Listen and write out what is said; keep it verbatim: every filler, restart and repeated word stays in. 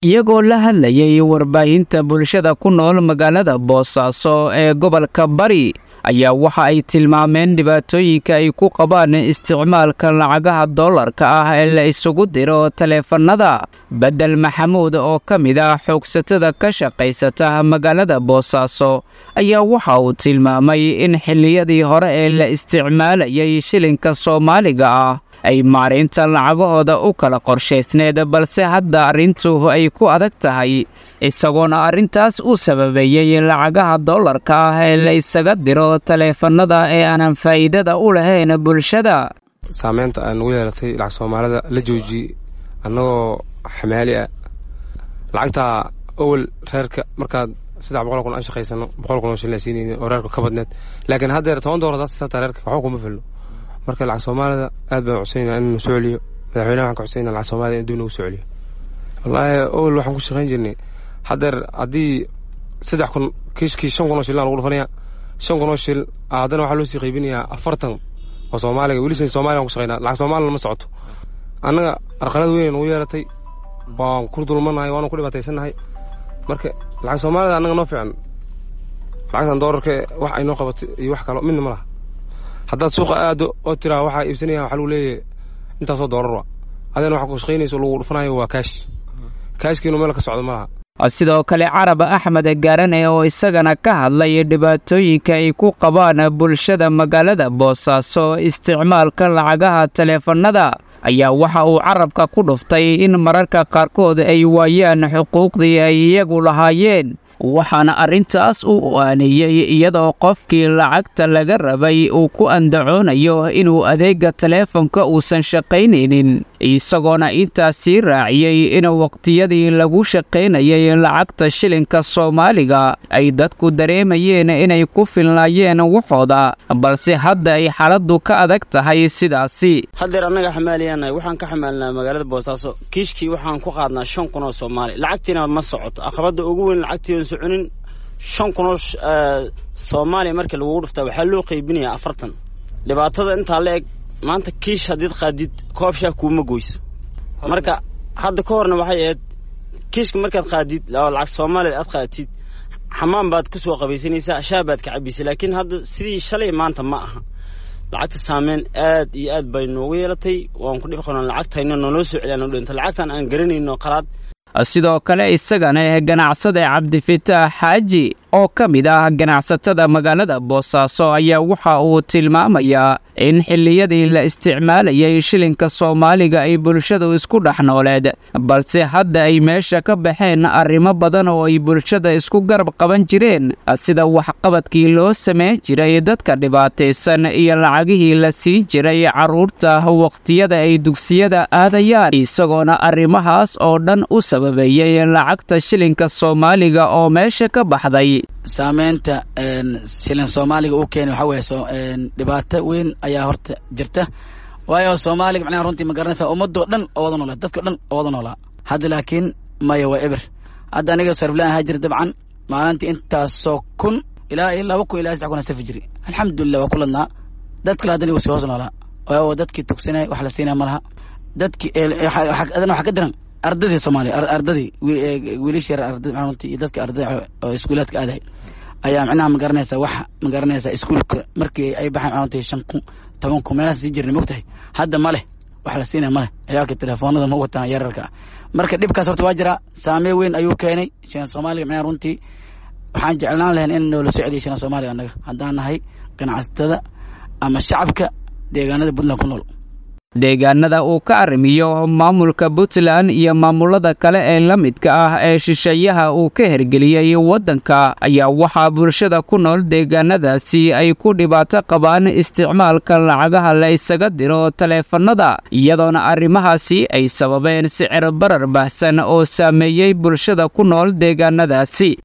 Iyagoo la hadlayay warbaahinta bulshada ku nool magaalada Boosaaso ee gobolka Bari ayaa waxa ay tilmaameen dhibaatooyinka ay ku qabaan isticmaalka lacagaha doolarka ah ee la isugu diro taleefanada. Bedel Maxamuud oo ka mid ah xoogsatada ka shaqaysata magaalada Boosaaso ayaa waxa uu tilmaamay in xilliyadii hore ee la isticmaalayay shilinka Soomaaliga ah ay maareynta lacagahooda u kala qorshaysneed, balse hadda arrintu ay ku adag tahay, isagoona arrintaas u sababeeyey lacagaha doolarka ah ee la isaga diro taleefanada ee aanan faa'iidada u lahayn bulshada. Saameynta aan ugu yeelatay lacag Soomaalida la joojiyey annagoo xamaali ah, lacagtaa awal reerka markaad saddex boqol kun aan shaqaysano, boqol kun oo shilin siinayni oo reerka ka badneed, laakiin haddeer toban doolar hadaad siisataa reerka waxba kuma filno. Marka lacag Soomaalida aad baan codsanayna inuu soo celiyo madaxweynaha, waxaan ka codsanayna lacag Soomaalida in dib nagu soo celiyo. Wallaahi awal waxaan ku shaqayn jirnay, haddeer haddii saddex kun kiishkii shan kun oo shilin lagu dhufanaya, shan kun oo shil haddana waxaa loo sii qaybinayaa afartan oo Soomaaliga. Weli shilin Soomaaliga aan ku shaqaynaa, lacag Soomaalina ma socoto. Annaga arqalad weyn nagu yeelatay, waan ku dulmanahay, waanu ku dhibaataysannahay. Marka lacag Soomaalida annaga noo fiican, lacagtan doolarka wax ay noo qabato iyo wax kalo midna ma laha. Haddaad suuqa aado oo tiraa waxaa iibsanaya, waxaa lagu leeyahay intaasoo doolar wa adina waxaa ku shaqaynayso lagu dhufanayo waa kaash, kaashkiinu meel ka socdo ma laha. Sidoo kale Carab Axmed Gaarane oo isagana ka hadlay dhibaatooyinka ay ku qabaan bulshada magaalada Boosaaso isticmaalka lacagaha taleefanada ayaa waxa uu carabka ku dhuftay in mararka qaarkood ay waayaan xuquuqdii ay iyagu lahaayeen, waxaana arrintaas u aaneeyey iyadoo qofkii lacagta laga rabay uu ku andacoonayo inuu adeega taleefonka uusan shaqaynaynin, isagoona intaas sii raaciyey in waqtiyadii lagu shaqaynayay lacagta shilinka Soomaaliga ay dadku dareemayeen inay ku filnaayeen waxooda, balse hadda ay xaaladdu ka adag tahay sidaasi. Haddeer annaga xamaaliyaanahay, waxaan ka xamaalinaa magaalada Boosaaso. Kiishkii waxaan ku qaadnaa shan kun oo Soomaali, lacagtiina ma socoto. Aqabadda ugu weyn lacagtii oon soconin, shan kun oo Soomaaliya marka lagugu dhuftaa waxaa loo qaybinayaa afartan. Dhibaatada intaa la eg maanta, kiish haddiid qaadid koob shaah kuuma goyso. Marka hadda ka horna waxay ahayd kiishka markaad qaadid oo lacag Soomaaliya aad qaadatid, xamaan baad ku soo qabaysanaysaa, shaah baad ka cabaysa, laakiin hadda sidii shalay maanta ma aha. Lacagta saameyn aad iyo aad bay noogu yeelatay, waan ku dhib qabnaa lacagtayna naloo soo celiyaan dhinta lacagtan aan garanayno qalaad. Sidoo kale isagana ganacsade Cabdifitaax Xaaji oo ka mid ah ganacsatada magaalada Boosaaso ayaa waxa uu tilmaamayaa in xilliyadii la isticmaalayay shilinka Soomaaliga ay bulshadu isku dhex nooleed, balse hadda ay meesha ka baxeen arrimo badan oo ay bulshada isku garab qaban jireen, sida waxqabadkii loo samayn jiray dadka dhibaataysan iyo lacagihii la siin jiray carruurta waqtiyada ay dugsiyada aadayaan, isagoona arrimahaas oo dhan u sababeeyey lacagta shilinka Soomaaliga oo meesha ka baxday. Saameynta shilin Soomaaliga uu keenay waxaa weeye dhibaato weyn ayaa horta jirta, waayo Soomaaliga macnaha runtii ma garanaysaa ummadoo dhan oo wada noolaa, dadka dhan oo wada noolaa. Hadda laakiin maya, waa eber. Hadda aniga sariflaan ahaa jira, dabcan maalintii intaasoo kun ilaa iyo laba kun ilaa saddex kun aan safi jiri, alxamdulillah waa ku ladnaa. Dad kale haddana igu sii hoos noolaa, waayo dadkii tugsanay wax la siinaya ma laha. Dadkii adana waxaa ka daran ardadii Soomaaliya, ardadii wiilasha yar, ardada macnaha runtii iyo dadka ardada oo iskuulaadka aaday ayaa macnaha ma garanaysaa, wax ma garanaysaa iskuulka markii ay baxaan macnaha runtii shan kun, toban kun meelahaas sii jirnay, mogtahay. Hadda ma leh, wax la siinaya ma leh, ciyaalka telefoonada ma wataan yararka ah. Marka dhibkaas horta waa jiraa, saameyn weyn ayuu keenay shilin Soomaaliga. Macnaha runtii waxaan jeclaan lahayn in noola soo celiyo shilin Soomaaliga annaga haddaan nahay ganacsatada ama shacabka deegaanada Puntland ku nool. Deegaanada uu ka arrimiyo maamulka Puntland iyo maamulada kale ee la midka ah ee shisheeyaha uu ka hergeliyey waddanka ayaa waxaa bulshada ku nool deegaanadaasi ay ku dhibaato qabaan isticmaalka lacagaha la isaga diro taleefanada, iyadoona arrimahaasi ay sababeen sicir barar baahsan oo saameeyey bulshada ku nool deegaanadaasi.